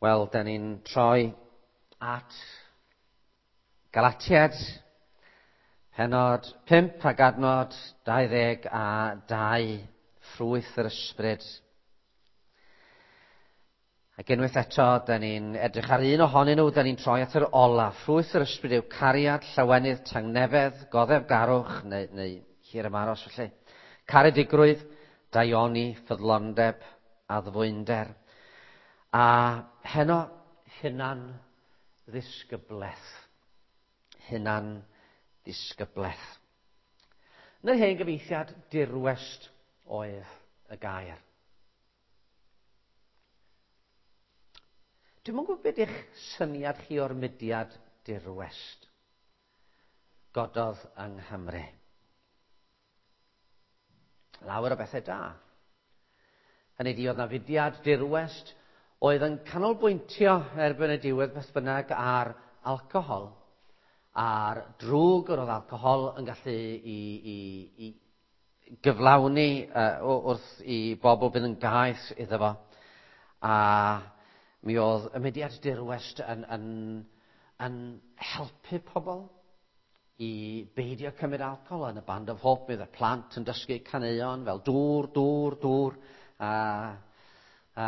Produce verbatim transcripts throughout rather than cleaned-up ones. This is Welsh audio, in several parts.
Wel, da ni'n troi at Galatiad, pennod pump ac adnod dau ddeg a dau, ffrwyth yr ysbryd. Ac unwaith eto, da ni'n edrych ar un ohonyn nhw, da ni'n troi at yr ola. Ffrwyth yr ysbryd yw cariad, llawenydd, tangnefedd, goddefgarwch, neu, neu hir ymaros felly. Caredigrwydd, daioni, ffyddlondeb, addfwynder. A heno, hunan ddisgyblaeth. Hunan ddisgyblaeth. Yn yr hen gyfieithiad, dirwest oedd y gair. Dwi'm yn gwybod beth yw'ch syniad chi o'r mudiad dirwest gododd yng Nghymru. Lawer o bethau da. Hynny ydi, oedd 'na fudiad dirwest oedd yn canolbwyntio erbyn y diwedd beth bynnag ar alcohol, a'r drwg yr oedd alcohol yn gallu i, i, i gyflawni uh, wrth i bobl bydd yn gaeth iddo fo. A mi oedd y mudiad dirwest yn, yn, yn helpu pobl i beidio cymryd alcohol. Yn y Band of Hope, mi oedd y plant yn dysgu caneuon fel dŵr, dŵr, dŵr, a, a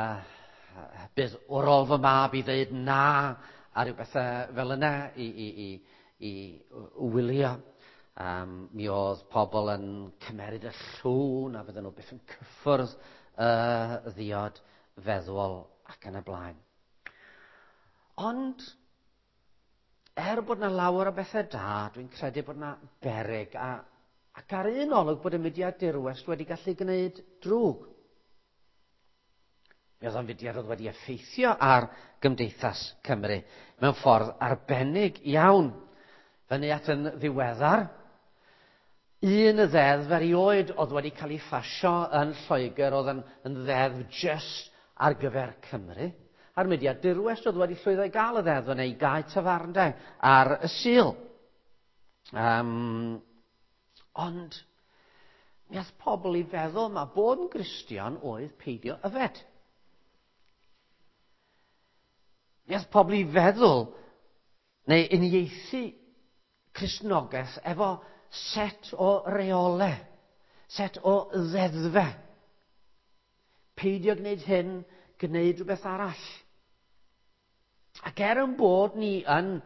bydd wrol fy mab i ddeud na, a rhyw bethau fel yna i, i, i, i wylio. Um, mi oedd pobl yn cymeryd y llw, na fydden nhw byth yn cyffwrdd y ddiod feddwol ac yn y blaen. Ond, er bod 'na lawer o bethau da, dwi'n credu bod 'na beryg, a, ac ar un olwg bod y mudiad dirwest wedi gallu gwneud drwg. Mi oedd o'n fudiad oedd wedi effeithio ar gymdeithas Cymru mewn ffordd arbennig iawn. Fyny at yn ddiweddar, un y ddeddf erioed oedd wedi cael ei phasio yn Lloegr oedd yn, yn ddeddf just ar gyfer Cymru. A'r mudiad dirwest oedd wedi llwyddo i gael y ddeddf yna i gau tafarndai ar y Sul. Um, ond mi ath pobl i feddwl ma bod yn Gristion oedd peidio yfed. Mi ath pobl i feddwl neu uniaethu Cristnogaeth efo set o reolau, set o ddeddfau. Peidio gwneud hyn, gwneud rhywbeth arall. Ac er yn bod ni yn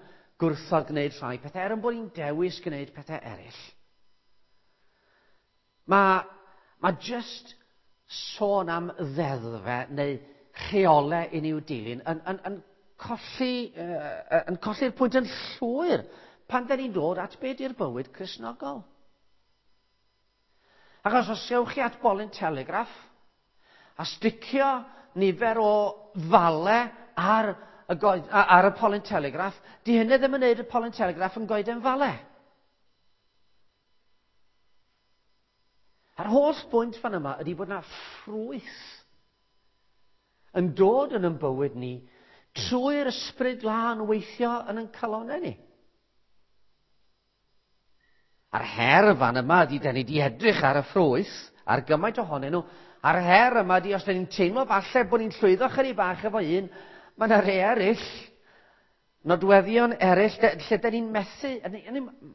gwrthod gwneud rhai pethau, er yn bod ni'n dewis gwneud pethau eraill, mae, mae just sôn am ddeddfau neu rheolau i ni'w dilyn yn, yn, yn colli, uh, yn colli'r pwynt yn llwyr pan da ni'n dod at be di'r bywyd Cristnogol. Achos os ewch chi at bolyn telegraff a sticio nifer o fale ar y, goed, ar y polyn telegraff, di hynny ddim yn neud y polyn telegraff yn goeden fale. A'r holl bwynt fan yma ydy bod yna ffrwyth yn dod yn ein bywyd ni trwy'r ysbryd glân weithio yn ein calonnau ni. A'r her fan yma ydy, da ni di edrych ar y ffrwyth, ar gymaint ohonyn nhw, a'r her yma ydy, os da ni'n teimlo falle bod ni'n llwyddo chydig bach efo un, mae yna rhai eraill, nodweddion eraill, lle da ni'n methu,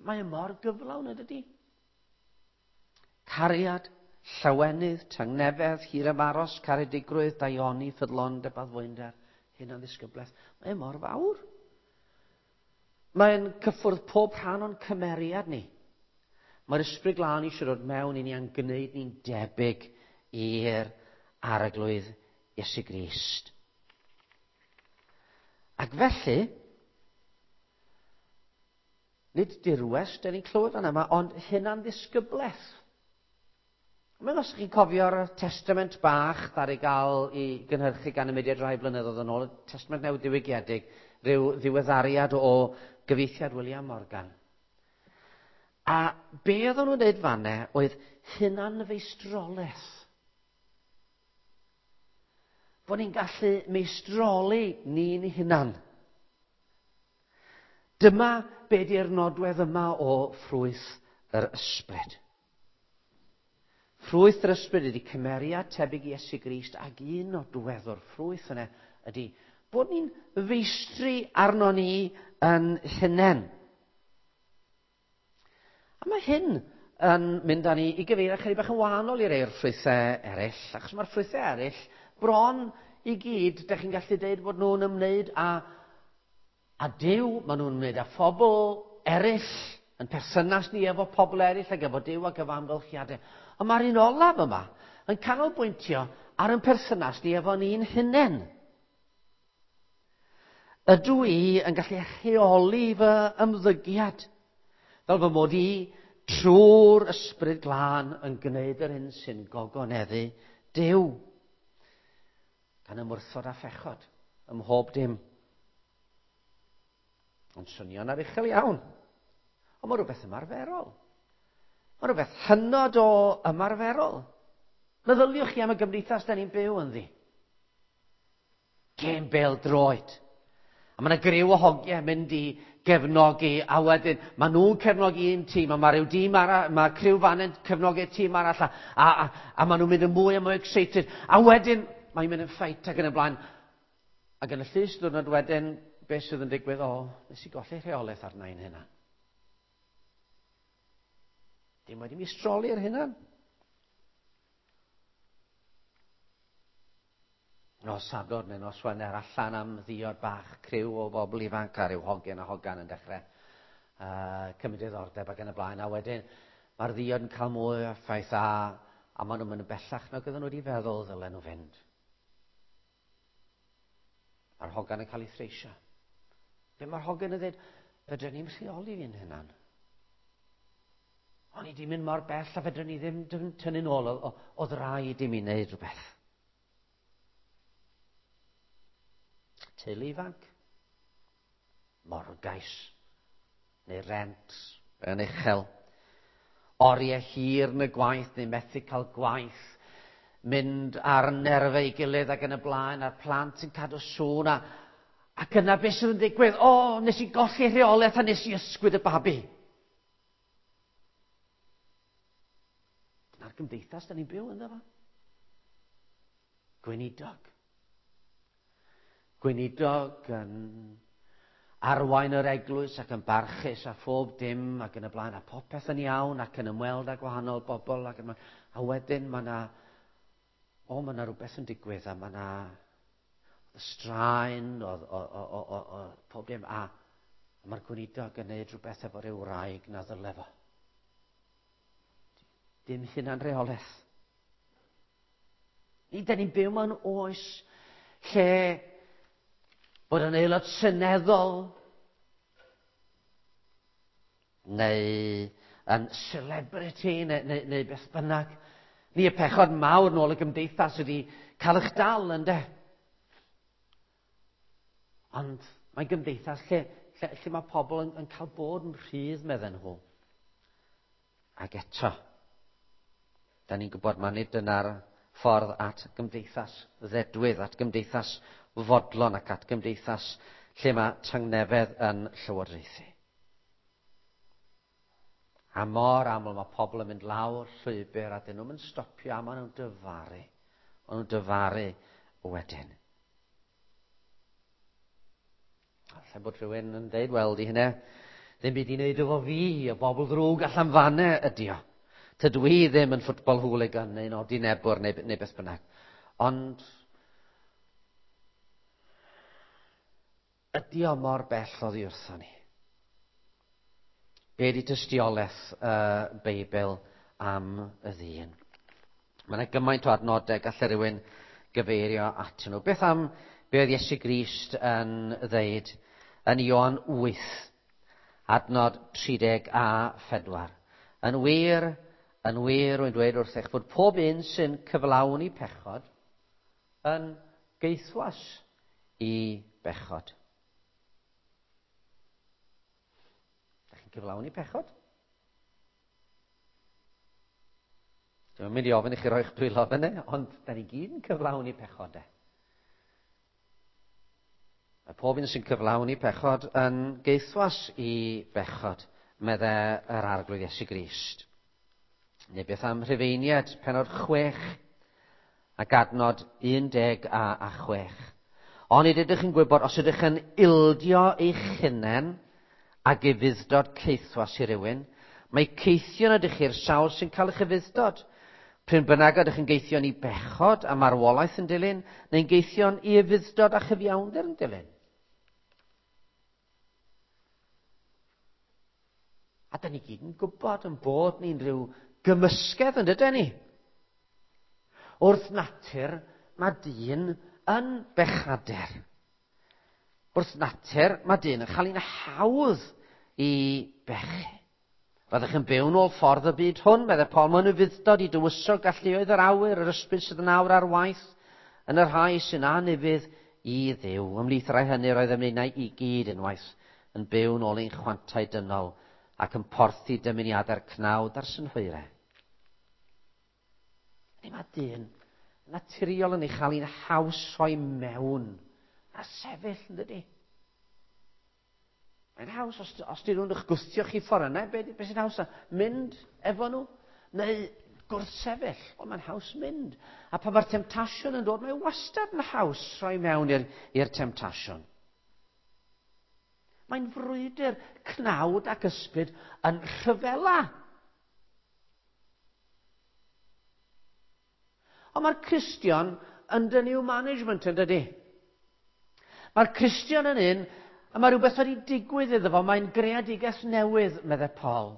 mae e mor gyflawn ydy. Cariad, llawenydd, tangnefedd, hir-ymaros, caredigrwydd, daioni, ffyddlondeb, addfwynder, hunan-ddisgyblaeth. Mae e mor fawr. Mae'n cyffwrdd pob rhan o'n cymeriad ni. Mae'r ysbryd glân eisiau dod mewn i ni a'n gwneud ni'n debyg i'r Arglwydd Iesu Grist. Ac felly, nid dirwest, da ni'n clywed fan yma, ond hunan-ddisgyblaeth. Mae'n os chi'n cofio'r testament bach ddaru gael ei gynhyrchu gan y mudiad rai blynyddoedd yn ôl, y testament newydd diwygiedig, rhyw ddiweddariad o gyfieithiad William Morgan. A be oedden nhw'n dweud fanne oedd hunanfeistrolaeth. Bod ni'n gallu meistroli ni'n hunan. Dyma be di'r nodwedd yma o ffrwyth yr ysbryd. Ffrwyth yr ysbryd ydy cymeriad tebyg i Iesu Grist, ac un nodwedd o'r ffrwyth yna ydy bod ni'n feistri arno ni yn hunain. A mae hyn yn mynd â ni i gyfeirio chydig bach yn wahanol i rei o'r ffrwythau eraill, achos mae'r ffrwythau eraill bron i gyd, dych chi'n gallu deud bod nhw'n ymwneud â, â Duw, maen nhw'n ymwneud â phobl eraill, yn perthynas ni efo pobl eraill ac efo Duw ac efo amgylchiadau. Ond mae'r un olaf yma yn canolbwyntio ar ein perthynas ni efo ni'n hunain. Ydw i yn gallu rheoli fy ymddygiad fel fy mod i trwy'r ysbryd glân yn gwneud yr hyn sy'n gogoneddu Duw, gan ymwrthod â phechod ym mhob dim. Ond swnio'n aruchel iawn. Ond mae rhywbeth ymarferol. Mae rhywbeth hynod o ymarferol. Meddyliwch chi am y gymdeithas da ni'n byw ynddi. Gêm bêl-droed. A mae yna griw o hogiau mynd i gefnogi, a wedyn maen nhw'n cefnogi un tîm, a mae rhyw dîm arall, mae criw fan yn cefnogi'r tîm arall, a, a, a, a maen nhw'n mynd yn mwy a mwy excited. A wedyn mae'n mynd yn ffeit ac yn y blaen. Ac yn y llys diwrnod wedyn, beth sydd yn digwydd? O, nes i golli rheolaeth arna i'n hynna. Dim wedi meistroli ar hynna. Nos Sadwrn neu nos Wener allan am ddiod bach, criw o bobl ifanc a ryw hogyn a hogan yn dechrau uh, cymryd diddordeb ac yn y blaen. A wedyn mae'r ddiod yn cael mwy o effaith a, a maen nhw'n mynd yn bellach nag oedden nhw wedi feddwl ddylen nhw fynd. Mae'r hogan yn cael ei threisio. Be mae'r hogan yn dweud? Fedrwn ni'm rheoli fi'n hunan. O'n i di mynd mor bell a fedrwn ni ddim tynnu'n ôl, oedd rhaid i mi wneud rhywbeth. Teulu ifanc, morgais, neu rent yn uchel, oriau hir yn y gwaith neu methu cael gwaith, mynd ar nerfau ei gilydd ac yn y blaen, a'r plant yn cadw sŵn, a, ac yna beth sydd yn digwydd? O, nes i golli rheolaeth a nes i ysgwyd y babi. Dyna'r gymdeithas da ni'n byw ynddo fo. Gweinidog. Gweinidog yn arwain yr eglwys ac yn barchus a phob dim ac yn y blaen, a popeth yn iawn ac yn ymweld â gwahanol bobl ac yn, a wedyn mae yna, o, mae yna rhywbeth yn digwydd a mae yna straen o, o, o, o, o, o pob dim, a, a mae'r gweinidog yn gwneud rhywbeth efo ryw wraig na ddyle fo. Dim hunan reolaeth. Ni, da ni'n byw mewn oes lle bod yn aelod seneddol neu yn celebrity neu, neu, neu beth bynnag. Ni y pechod mawr nôl y gymdeithas ydi cael eich dal, ynde? Ond mae'n gymdeithas lle, lle, lle mae pobl yn, yn cael bod yn rhydd, medden nhw. Ac eto, da ni'n gwybod mae nid dyna'r ffordd at gymdeithas ddedwydd, at gymdeithas fodlon ac at gymdeithas lle mae tangnefedd yn llywodraethu. A mor aml mae pobl yn mynd lawr llwybr a dyn nhw'n mynd stopio a maen nhw'n dyfaru. Maen nhw'n dyfaru wedyn. Alla bod rhywun yn deud, wel, di hynna, ddim byd i wneud efo fi, y bobl ddrwg allan fanna ydi o. Tydw i ddim yn football hooligan neu'n odinebwr neu, neu beth bynnag. Ond ydi o mor bell oddi wrthon ni? Be di tystiolaeth y uh, Beibl am y ddyn? Mae yna gymaint o adnodau gallai rhywun gyfeirio atyn nhw. Beth am be oedd Iesu Grist yn ddeud yn Ioan wyth, adnod tri deg a phedwar. Yn wir, yn wir, rwy'n dweud wrthych fod pob un sy'n cyflawni pechod yn geithwas i bechod. Dach chi'n cyflawni pechod? Dwi'n mynd i ofyn i chi roi'ch dwylo fyny, ond da ni gyd yn cyflawni pechodau. Mae pob un sy'n cyflawni pechod yn geithwas i bechod, meddai yr Arglwydd Iesu Grist. Neu beth am Rhufeiniaid, penod chwech ac adnod un deg a, a chwech. Onid ydych yn gwybod, os ydych yn ildio eich hunain ag ufudd-dod caethwas i rywun, mae caethion ydych chi'r sawl sy'n cael eich ufudd-dod. Pryn bynnag ydych yn geithion i bechod a marwolaeth yn dilyn, neu'n geithion i ufudd-dod a chyfiawnder yn dilyn. A da ni gyd yn gwybod yn bod ni'n rhyw gymysgedd yn dydyn ni. Wrth natur, mae dyn yn bechadur. Wrth natur, mae dyn yn cael ein hawdd i bechu. Byddwch yn byw nôl ffordd y byd hwn, meddai Paul, mae'n ufudd-dod i dywysog galluoedd yr awyr, yr ysbryd sydd yn awr ar waith, yn y rhai sy'n anufudd i Dduw. Ymhlith rhai hynny roedd ymwneud i gyd unwaith yn byw nôl ein chwantau dynol ac yn porthi dymuniadau'r cnawd a'r synhwyrau. Ydy mae dyn naturiol yn ei chael hi'n haws rhoi mewn a sefyll, yn dydy? Mae'n haws, os, os di rhywun eich gwthio chi ffordd yna, be, be sy'n haws? Mynd efo nhw? Neu gwrthsefyll? Wel, mae'n haws mynd. A pan mae'r temtasiwn yn dod, mae wastad yn haws rhoi mewn i'r, i'r temtasiwn. Mae'n frwydr cnawd ac ysbryd yn rhyfela. Ond mae'r Cristion under new management, yn dydy? Mae'r Cristion yn un, a mae rhywbeth wedi digwydd iddo fo, mae'n greadigaeth newydd, meddai Paul.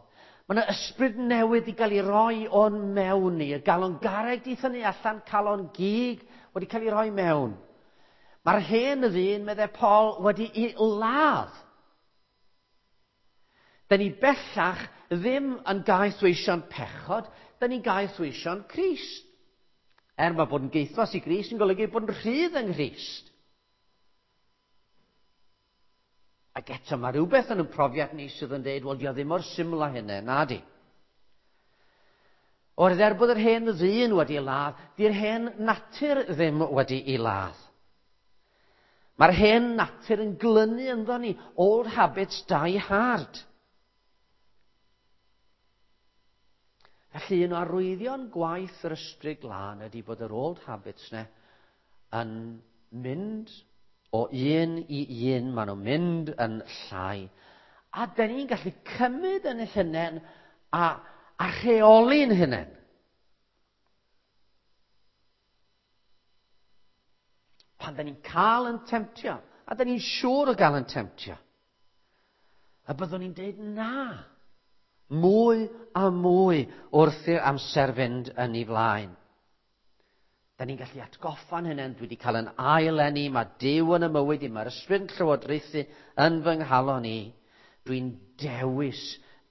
Mae yna ysbryd newydd i gael ei roi o'n mewn ni. Y galon garreg di thynnu allan, calon gig wedi cael ei roi mewn. Mae'r hen ddyn, meddai Paul, wedi ei ladd. Da ni bellach ddim yn gaethweision pechod, da ni'n gaethweision Crist. Er mae bod yn gaethwas i Grist yn golygu bod yn rhydd yng Nghrist. Ac eto mae rhywbeth yn y profiad ni sydd yn dweud, wel, dio ddim mor syml â hynny, na di. Oherwydd er bod yr hen ddyn wedi ei ladd, di'r hen natur ddim wedi ei ladd. Mae'r hen natur yn glynu ynddo ni. Old habits die hard. Felly un o arwyddion gwaith yr Ysbryd Glân ydy bod yr old habits ne yn mynd o un i un, maen nhw'n mynd yn llai. A dyn ni'n gallu cymryd yn hunain a, a rheoli'n hunain. Pan dyn ni'n cael yn temtio, a dyn ni'n siŵr o gael yn temtio, a byddwn ni'n dweud na. Mwy a mwy wrth i'r amser fynd yn ei flaen. Da ni'n gallu atgoffa'n hynny, dwi wedi cael yn ail-eni, mae Duw yn y mywyd i, mae'r ysbryd yn llywodraethu yn fy nghalon i. Dwi'n dewis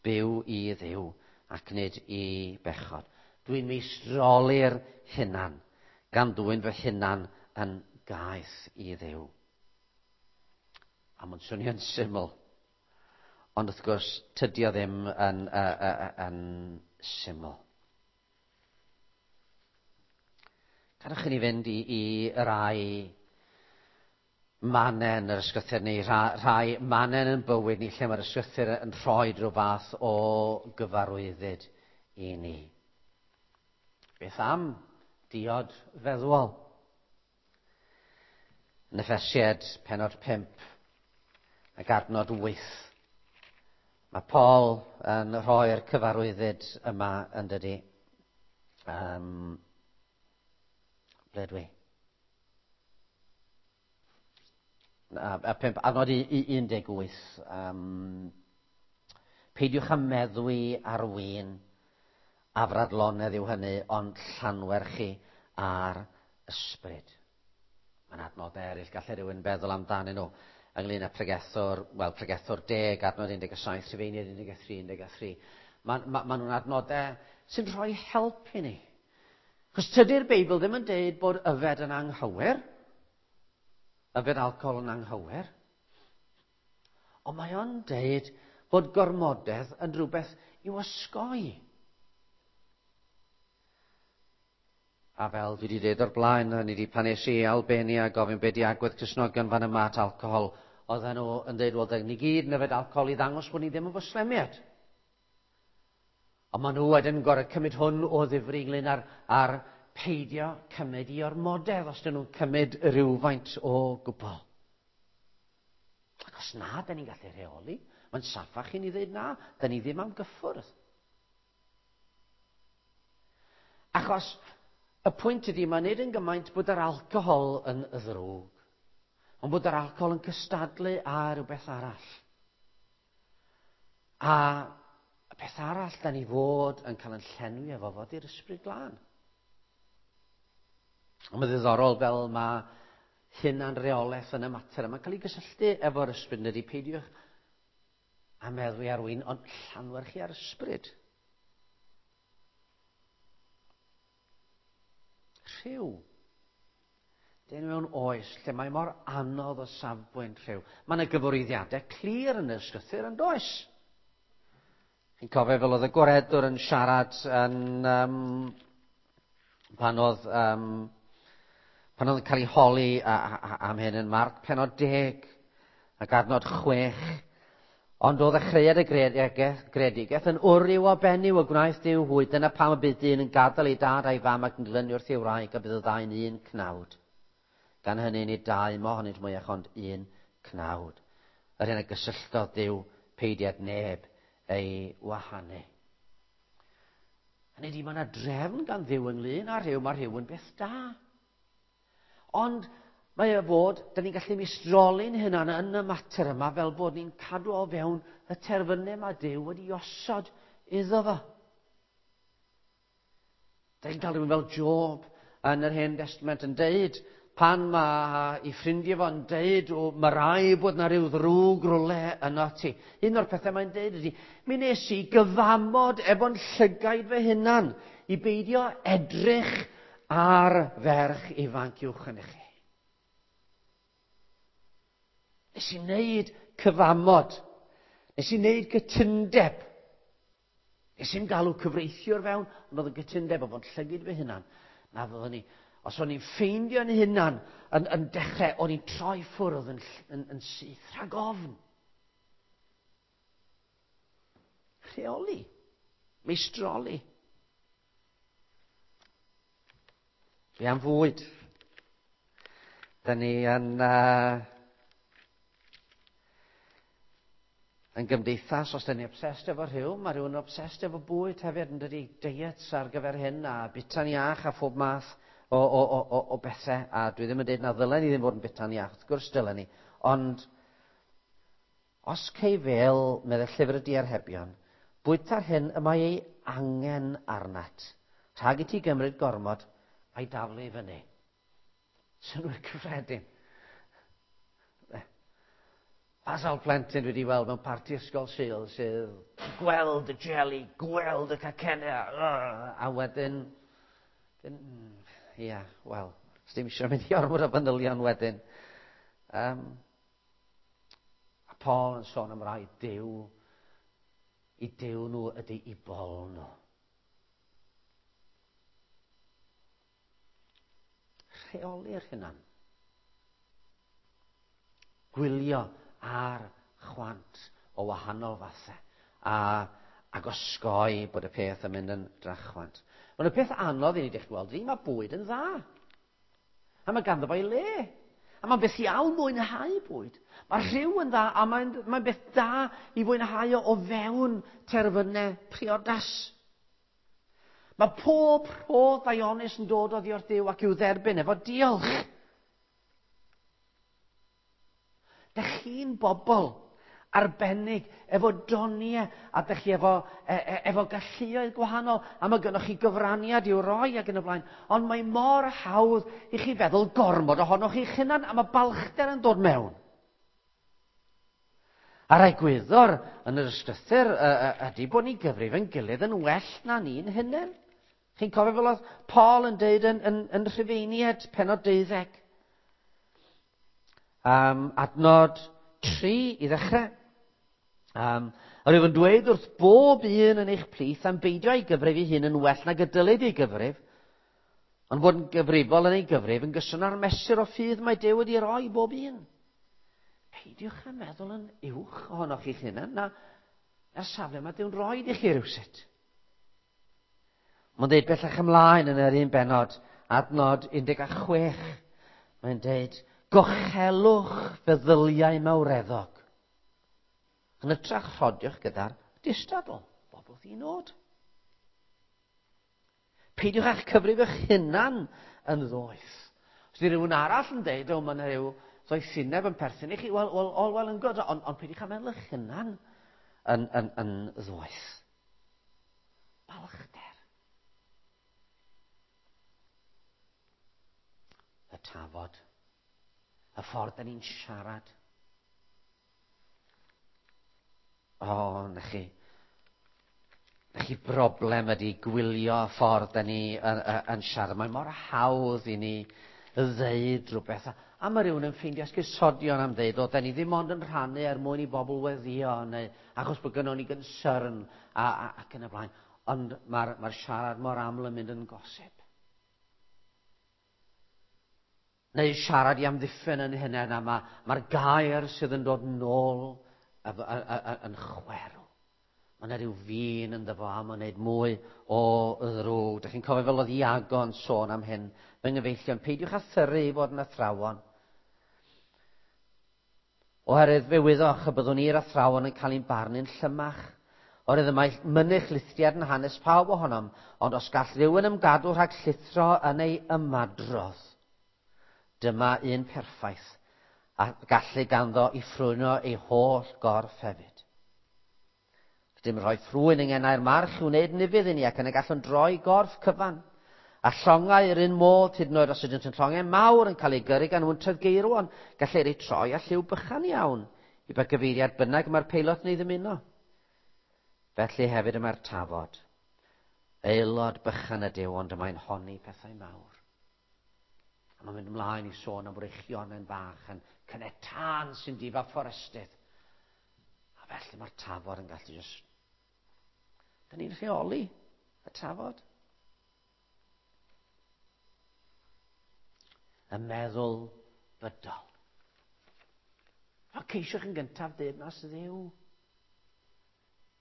byw i Dduw ac nid i bechod. Dwi'n meistroli'r hunan, gan ddwyn fy hunan yn gaeth i Dduw. A mae'n swnio'n syml. Ond wrth gwrs, tydi o ddim yn, uh, uh, yn syml. Gadewch i ni fynd i, i rai mannau yn yr ysgrythur neu rhai, rhai mannau yn bywyd ni lle mae'r ysgrythur yn rhoi rhyw fath o gyfarwyddyd i ni. Beth am diod feddwol? Yn Effesiaid penod pump ac adnod wyth. Mae Paul yn rhoi'r cyfarwyddyd yma yn dydi. Um, ble dwi? A, a pump, adnod un deg wyth. Um, peidiwch â meddwi ar win, afradlonedd yw hynny, ond llanwerchu ar ysbryd. Mae'n adnod eraill, gallai rhywun feddwl amdanyn nhw ynglyn â pregethwr, wel, pregethwr deg, adnod un deg saith, Rhufeiniaid un deg tri, un deg tri. Mae ma, ma nhw'n adnodau sy'n rhoi help i ni. Chos tydi'r Beibl ddim yn deud bod yfed yn anghywir, yfed alcohol yn anghywir, ond mae o'n deud bod gormodedd yn rhywbeth i'w osgoi. A fel dwi wedi dweud o'r blaen, ni wedi pan es i Albania gofyn be di agwedd Cristnogion fan yma at alcohol, oedden nhw yn dweud, wel, ni gyd yn yfed alcohol i ddangos bod ni ddim yn Fwslemiaid. Ond maen nhw wedyn gorau cymryd hwn o ddifri ynglyn â'r, ar peidio cymryd i ormodedd os dyn nhw'n cymryd rhywfaint o gwbl. Ac os na, da ni'n gallu rheoli. Mae'n saffach i ni ddweud na, da ni ddim am gyffwrdd. Achos y pwynt ydy, mae nid yn gymaint bod yr alcohol yn ddrwg, ond bod yr alcohol yn cystadlu â rhywbeth arall. A y peth arall da ni fod yn cael yn llenwi efo fod i'r Ysbryd Glân. Ond mae'n ddiddorol fel mae hunanreolaeth yn y mater yma'n cael ei gysylltu efo'r ysbryd, ydy peidiwch a meddwi ar win, ond llanwerchu ar ysbryd. Rhyw. Dyn mewn oes lle mae mor anodd o safbwynt rhyw. Mae yna gyfarwyddiadau clir yn y ysgrythur yn does? Chi'n cofio fel oedd y gwaredwr yn siarad yn, um, pan oedd, um, pan oedd yn cael ei holi a, a, am hyn yn Marc pennod deg ac adnod chwech. Ond o ddechreuad y greadigaeth yn wryw o benyw y gwnaeth Duw hwy. Dyna pam y bydd dyn yn gadael ei dad a'i fam ac yn glynu wrth ei wraig a bydd y ddau'n un cnawd. Gan hynny nid dau mohonynt mwyach ond un cnawd. Yr hyn a gysylltodd Duw peidiad neb ei wahanu. Hynny ydi, mae yna drefn gan Dduw ynglyn â rhyw, mae rhyw yn beth da. Ond mae e fod, da ni'n gallu meistroli'n hunan yn y mater yma fel bod ni'n cadw o fewn y terfynau mae Duw wedi osod iddo fo. Da ni'n cael rhywun fel Job yn yr Hen Testament yn deud, pan mae ei ffrindiau fo'n deud, o, mae rai bod na rhyw ddrwg rwle yno ti. Un o'r pethau mae'n deud ydy, mi nes i gyfamod efo'n llygaid fy hunan i beidio edrych ar ferch ifanc uwch yn chi. Nes i wneud cyfamod. Nes i wneud gytundeb. Nes i'n galw cyfreithiwr fewn, ond oedd y gytundeb o fod llygid fy hunan. Na fyddwn ni, os o'n i'n ffeindio'n hunan yn, yn dechrau, o'n i'n troi ffwrdd yn, yn, yn syth rhag ofn. Rheoli. Meistroli. Be am fwyd? Da ni yn... Uh, Yn gymdeithas, os da ni obsessed efo rhyw, mae rhywun obsessed efo bwyd hefyd, yn dydi, diets ar gyfer hyn, a bita'n iach a phob math o, o, o, o, o bethau. A dwi ddim yn dweud na ddylen ni ddim fod yn bita'n iach, wrth gwrs dylen ni. Ond os cei fel, meddai llyfr y diarhebion, bwyta'r hyn y mae ei angen arnat, rhag i ti gymryd gormod a'i daflu i fyny. Synnwyr cyffredin. A sawl plentyn dwi wedi weld mewn parti ysgol Sul sydd gweld y jelly, gweld y cacennau, a wedyn, ia, wel, sdim eisiau mynd i ormod o fanylion wedyn. Um, a Paul yn sôn am rai Duw, i Duw nhw ydy i bol nhw. Rheoli'r hunan. Gwylio ar chwant o wahanol fathau a, ac osgoi bod y peth yn mynd yn drachwant. Ond y peth anodd i ni ddechrau gweld ydy, mae bwyd yn dda. A mae ganddo fo ei le. A mae'n beth iawn mwynhau bwyd. Mae rhyw yn dda a mae'n mae beth da i fwynhau o, o fewn terfynau priodas. Mae pob rhodd ddaionus yn dod oddi wrth Dduw ac i'w dderbyn efo diolch. Dych chi'n bobl arbennig efo doniau a dych chi efo, e, e, efo galluoedd gwahanol a mae gynnoch chi gyfraniad i'w roi ac yn y blaen. Ond mae mor hawdd i chi feddwl gormod ohonoch chi'ch hunan a mae balchder yn dod mewn. A'r egwyddor yn yr ysgrythur ydy bod ni'n gyfrif yn gilydd yn well na ni'n hunain. Chi'n cofio fel oedd Paul yn deud yn, yn, yn Rhufeiniaid pennod deuddeg. Um, adnod tri i ddechrau. Um, a rwyf yn dweud wrth bob un yn eich plith am beidio ei gyfrif ei hun yn well nag y dylid ei gyfrif, ond fod yn gyfrifol yn ei gyfrif yn gyson â'r mesur o ffydd mae Duw wedi roi bob un. Peidiwch â meddwl yn uwch ohonoch chi'ch hunan na, na'r safle mae Duw'n rhoi i chi rywsut. Mae'n dweud bellach ymlaen yn yr un benod, adnod un deg chwech. Mae'n dweud, gochelwch feddyliau mawreddog. Yn hytrach rhodiwch gyda'r distadl, bob wrth un nod. Peidiwch â'ch cyfrif eich hunan yn ddoeth. Os ydy rhywun arall yn dweud, o, mae yna rhyw ddoethineb yn perthyn i chi, well, well, all well and good, ond on, peidiwch â meddwl eich hunan yn, yn, yn ddoeth. Balchder. Y tafod. Y ffordd da ni'n siarad. O, na chi. Na chi broblem ydy gwylio y ffordd da ni yn, yn siarad. Mae mor hawdd i ni ddeud rhywbeth. A mae rhywun yn ffeindio esgusodion am ddeud, o, da ni ddim ond yn rhannu er mwyn i bobl weddio, neu achos bod gynnon ni gynsyrn, a, a, ac yn y blaen. Ond mae'r mae siarad mor aml yn mynd yn gosib. Neu siarad i amddiffyn yn hunain, a mae'r ma gair sydd yn dod nôl yn chwerw. Mae yna rhyw fin ynddo fo am wneud mwy o ddrwg. Dych chi'n cofio fel oedd Iago yn sôn am hyn, fy nghyfeillion, peidiwch â thyrru i fod yn athrawon. Oherwydd fe wyddoch y byddwn ni'r athrawon yn cael ein barnu'n llymach. Oherwydd y mae mynych lithriad yn hanes pawb ohonom, ond os gall rhywun ymgadw rhag llithro yn ei ymadrodd, dyma un perffaith, a gallu ganddo i ffrwyno ei holl gorff hefyd. Dim rhoi ffrwyn yng ngenau'r march i'w wneud nifydd i ni, ac yn y gallwn droi gorff cyfan. A llongau yr un modd, hyd yn oed os ydynt yn llongau mawr yn cael ei gyrru gan wyntoedd geirwon, gallir eu troi â lliw bychan iawn, i ba gyfeiriad bynnag mae'r peilot neu ddymuno. Felly hefyd y mae'r tafod. Aelod bychan ydyw, ond y mae'n honni pethau mawr. A mae'n mynd ymlaen i sôn am wreichionen bach yn cynnau tân sy'n difa fforestydd. A felly mae'r tafod yn gallu just... Da ni'n rheoli y tafod. Y meddwl bydol. A ceisiwch yn gyntaf deyrnas Dduw.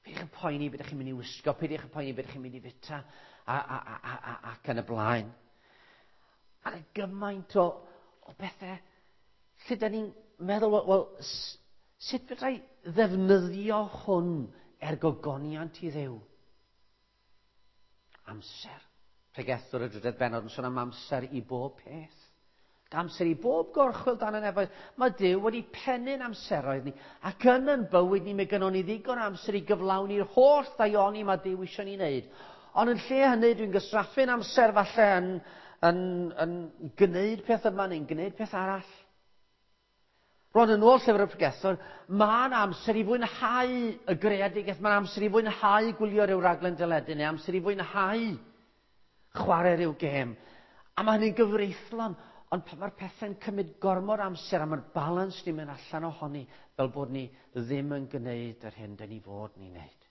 Peidiwch yn poeni beth ydych chi'n mynd i wisgo, peidiwch yn poeni beth ydych chi'n mynd i fita, a, a, a, a, a, ac yn y blaen. A gymaint o, o bethau lle da ni'n meddwl, wel, wel sut fedra i ddefnyddio hwn er gogoniant i Dduw? Amser. Pregethwr y drydedd bennod yn sôn am amser i bob peth. Amser i bob gorchwyl dan y nefoedd. Mae Duw wedi pennu'n amseroedd ni, ac yn yn bywyd ni, mae gynnon ni ddigon amser i gyflawni'r holl ddaioni mae Duw eisiau ni wneud. Ond yn lle hynny, dwi'n gysraffu'n amser falle yn, yn, yn gwneud peth yma neu'n gwneud peth arall. Rwan yn ôl llyfr y pregethwr, mae'n amser i fwynhau y greadigaeth, mae'n amser i fwynhau gwylio rhyw raglen deledu, neu amser i fwynhau chwarae rhyw gêm. A mae hynny'n gyfreithlon, ond pan mae'r pethau'n cymryd gormod amser a mae'r balans ni'n mynd allan ohoni, fel bod ni ddim yn gwneud yr hyn dyn ni fod ni'n wneud.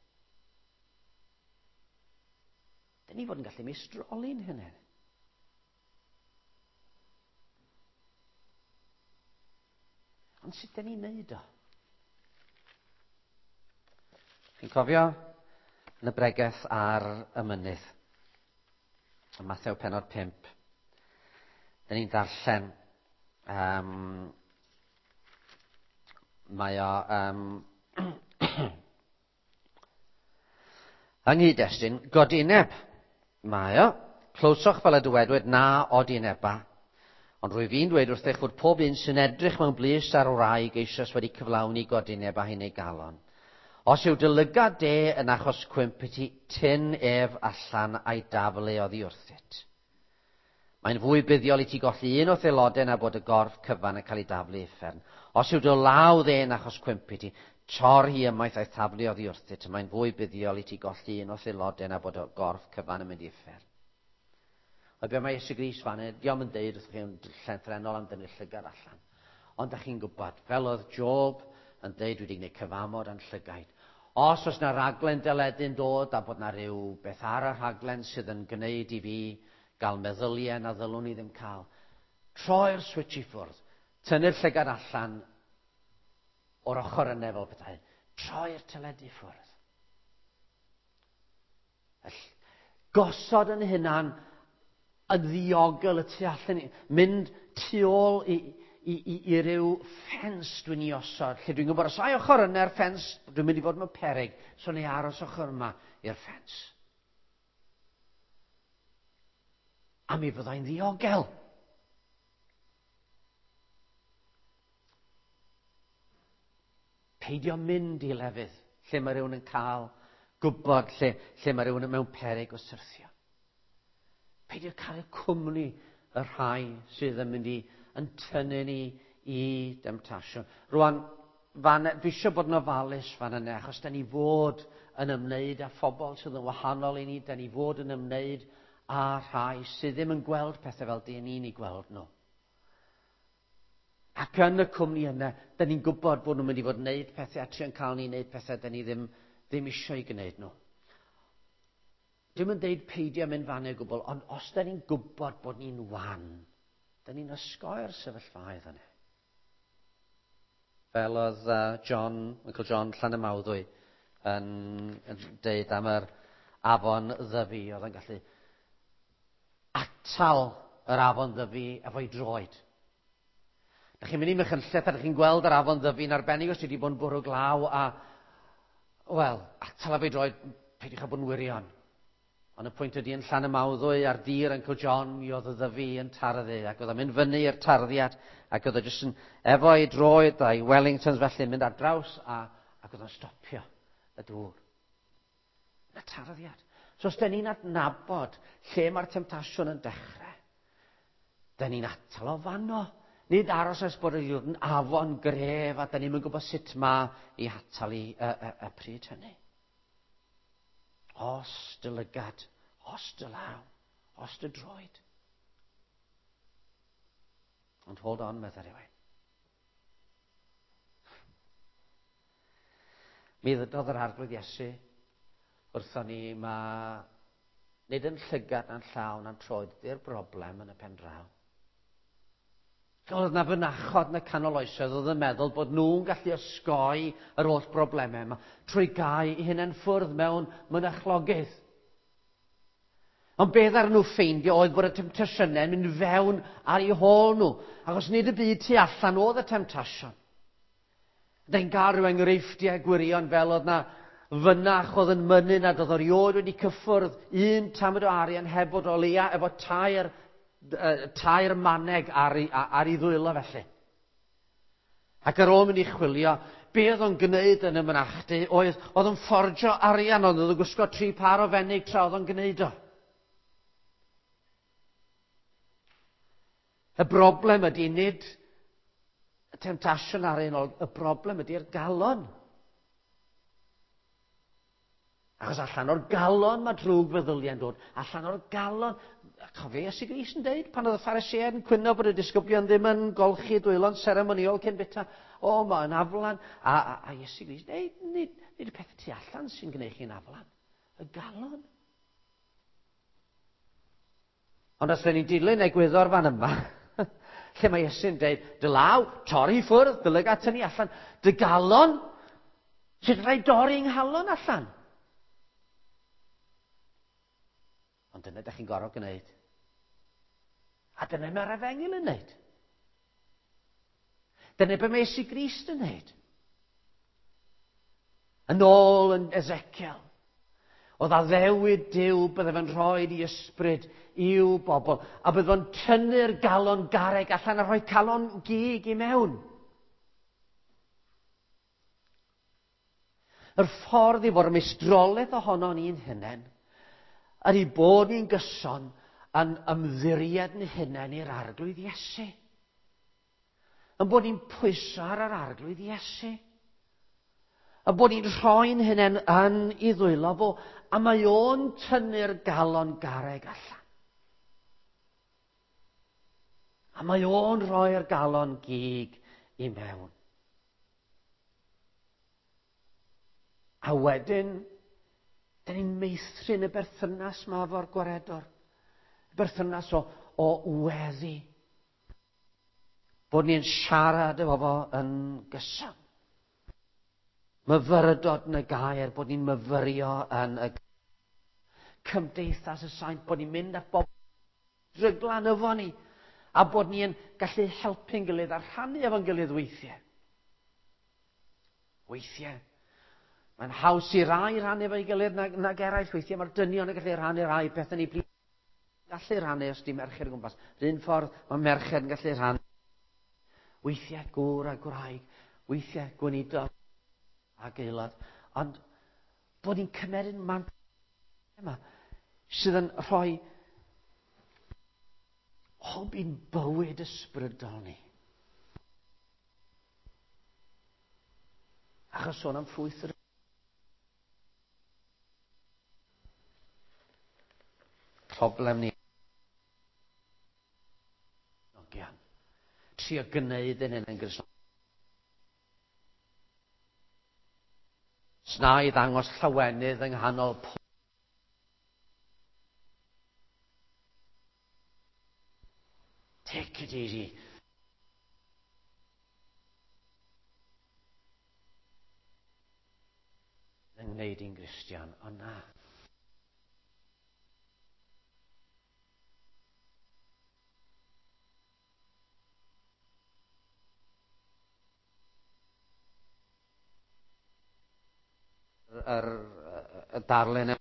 Dyn ni fod yn gallu meistroli'n hynny. Ond sut dyn ni'n neud o? Chi'n cofio yn y bregeth ar y mynydd, yn Mathew pennod pump, dyn ni'n darllen, um, mae o um, yng nghyd-destun godineb, mae o, clywsoch fel y dywedwyd na odineba. Ond rwyf fi'n dweud wrthych fod pob un sy'n edrych mewn blys ar wraig eisoes wedi cyflawni godineb a hyn ei galon. Os yw dy lygad de yn achos cwymp i ti, tyn ef allan a'i daflu oddi wrthyt. Mae'n fwy buddiol i ti golli un o'th aelodau na bod y gorff cyfan yn cael ei daflu uffern. Os yw dy law dde yn achos cwymp i ti, tor hi ymaith a'i thaflu oddi wrthyt. Mae'n fwy buddiol i ti golli un o'th aelodau na bod y gorff cyfan yn mynd i uffern. A be mae Iesu Grist fan hyn, dio'm yn deud wrthych chi'n llythrennol am dynnu'r llygad allan. Ond dach chi'n gwybod, fel oedd Job yn deud, dwi wedi gwneud cyfamod a'n llygaid. Os oes na raglen deledu'n dod a bod na rhyw beth ar y rhaglen sydd yn gwneud i fi gael meddyliau na ddylwn i ddim cael, troi'r switch i ffwrdd, tynnu'r llygad allan o'r ochr yna fel petai, troi'r teledu ffwrdd. Gosod yn hunan yn ddiogel y tu allan, mynd tu ôl i, i, i, i ryw ffens dwi'n ei osod, lle dwi'n gwybod os ai ochr yna'r ffens, dwi'n mynd i fod mewn peryg, so neu aros ochr yma i'r ffens. A mi fyddai'n ddiogel. Peidio mynd i lefydd lle mae rhywun yn cael gwybod, lle, lle mae rhywun mewn peryg o syrthio. Peidio cael y cwmni y rhai sydd yn mynd i yn tynnu ni i demtasiwn. Rwan, fan, dwi eisiau bod yn ofalus fan yna, achos da ni fod yn ymwneud â phobl sydd yn wahanol i ni, da ni fod yn ymwneud â rhai sydd ddim yn gweld pethau fel dyn ni'n ei gweld nhw. Ac yn y cwmni yna, da ni'n gwybod bod nhw'n mynd i fod yn gwneud pethau a trio'n cael ni'n gwneud pethau da ni ddim, ddim eisiau gwneud nhw. Dwi'm yn deud peidio mynd fan o gwbl, ond os da ni'n gwybod bod ni'n wan, da ni'n osgoi'r sefyllfaoedd yna. Fel oedd uh, John, Uncle John Llanymawddwy yn, yn deud am yr afon Ddyfi, oedd yn gallu atal yr afon Ddyfi efo'i droed. Da chi'n mynd i Machynlleth a da chi'n gweld yr afon Ddyfi'n arbennig os ti wedi bod yn bwrw glaw a, wel, atal efo'i droed, peidiwch â bod yn wirion. Ond y pwynt ydy yn Llanymawddwy ar dir Uncle John, mi oedd y Ddyfi yn tarddu, ac oedd o'n mynd fyny i'r tarddiad, ac oedd o jyst yn efo'i droed a'i Wellingtons felly yn mynd ar draws, a, ac oedd o'n stopio y dŵr. Y tarddiad. So os da ni'n adnabod lle mae'r temtasiwn yn dechrau, da ni'n atal o fanno. Nid aros nes bod yn afon gref a da ni'n gwybod sut mae i atal i y, y, y pryd hynny. Os dy lygad, os dy law, os dy droed. Ond hold on, meddai rhywun. Mi ddydodd yr Arglwydd Iesu wrthon ni, mae nid yn llygad na'n llaw na'n troed ydy'r broblem yn y pen draw. Oedd na fynachod yn y canol oesoedd oedd yn meddwl bod nhw'n gallu osgoi yr holl broblemau yma trwy gau eu hunain ffwrdd mewn mynachlogydd. Ond beth ar nhw ffeindio oedd bod y temtasiynau yn mynd fewn ar eu hôl nhw, achos nid y byd tu allan oedd y temtasiwn. Da'n gael rhyw enghreifftiau gwirion fel oedd na fynach oedd yn mynnu nad oedd erioed wedi cyffwrdd un tamed o arian heb fod o leia efo tair tair maneg ar ei, ar ei ddwylo felly. Ac ar ôl mynd i chwilio, be oedd o'n gwneud yn y mynachdy oedd, oedd o'n fforjo arian, ond oedd o'n gwisgo tri par o fenig tra oedd o'n gwneud o. Y broblem ydy nid y temtasiwn ar un ôl, y broblem ydy'r galon. Achos allan o'r galon mae drwg feddyliau'n dod. Allan o'r galon. Cofio Iesu Grist yn deud pan oedd y Phariseaid yn cwyno bod y disgyblion ddim yn golchi dwylo'n seremoniol cyn bita. O, mae'n aflan. A, a, a Iesu Grist yn deud, nid, nid y pethau tu allan sy'n gwneud chi'n aflan. Y galon. Ond os ydyn ni'n dilyn egwyddor fan yma, lle mae Iesu'n deud, dy law, torri ffwrdd, dy lygad tynnu allan, dy galon, sut rhaid dorri nghalon allan? Ond dyna ydych chi'n gorfod gwneud. A dyna mae'r efengyl yn wneud. Dyna be mae Iesu Grist yn wneud. Yn ôl yn Ezekiel, oedd addewid Duw bydde fe'n rhoi i ysbryd i'w bobl, a bydde fe'n tynnu'r galon garreg allan a rhoi calon gig i mewn. Yr ffordd i fod y meistrolaeth ohono ni'n hunain, ydy bod ni'n gyson yn ymddiried yn hunain i'r Arglwydd Iesu. Yn bod ni'n pwyso ar yr Arglwydd Iesu. Yn bod ni'n rhoi'n hunain yn ei ddwylo fo, a mae o'n tynnu'r galon garreg allan. A mae o'n rhoi'r galon gig i mewn. A wedyn, da ni'n meithrin y berthynas ma efo'r gwaredwr. Y berthynas o, o weddi. Bod ni'n siarad efo fo yn gyson. Myfyrdod yn y gair, bod ni'n myfyrio yn y gair. Cymdeithas y Saint, bod ni'n mynd at bobl dryglan efo ni, a bod ni'n gallu helpu'n gilydd a rhannu efo'n gilydd weithiau. Weithiau. Mae'n haws i rai rhannu efo'i gilydd nag, nag eraill. Weithiau mae'r dynion yn gallu rhannu rai pethau ni plith. Gallu rhannu os di merched o gwmpas. R'un ffordd mae merched yn gallu rhannu. Weithiau gŵr a gwraig, weithiau gweinidog ac aelod. Ond bod ni'n cymeryd mant yma sydd yn rhoi hwb i'n bywyd ysbrydol ni. Achos sôn am ffrwyth yr problem ni. Trio gwneud yn hyn yn Gristnogol. Sna i ddangos llawenydd yng nghanol pob. Take it easy. Yn gwneud i'n Gristion, ond na. Yr, y darlun